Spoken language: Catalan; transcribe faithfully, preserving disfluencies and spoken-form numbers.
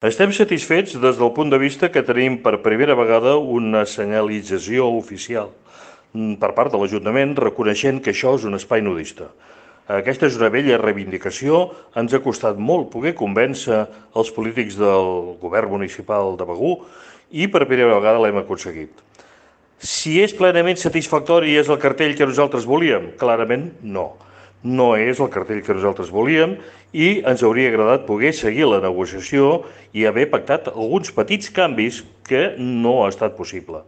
Estem satisfets des del punt de vista que tenim per primera vegada una senyalització oficial per part de l'Ajuntament reconeixent que això és un espai nudista. Aquesta és una vella reivindicació, ens ha costat molt poder convèncer els polítics del govern municipal de Begur i per primera vegada l'hem aconseguit. Si és plenament satisfactori i és el cartell que nosaltres volíem? Clarament no. No és el cartell que nosaltres volíem i ens hauria agradat poder seguir la negociació i haver pactat alguns petits canvis que no ha estat possible.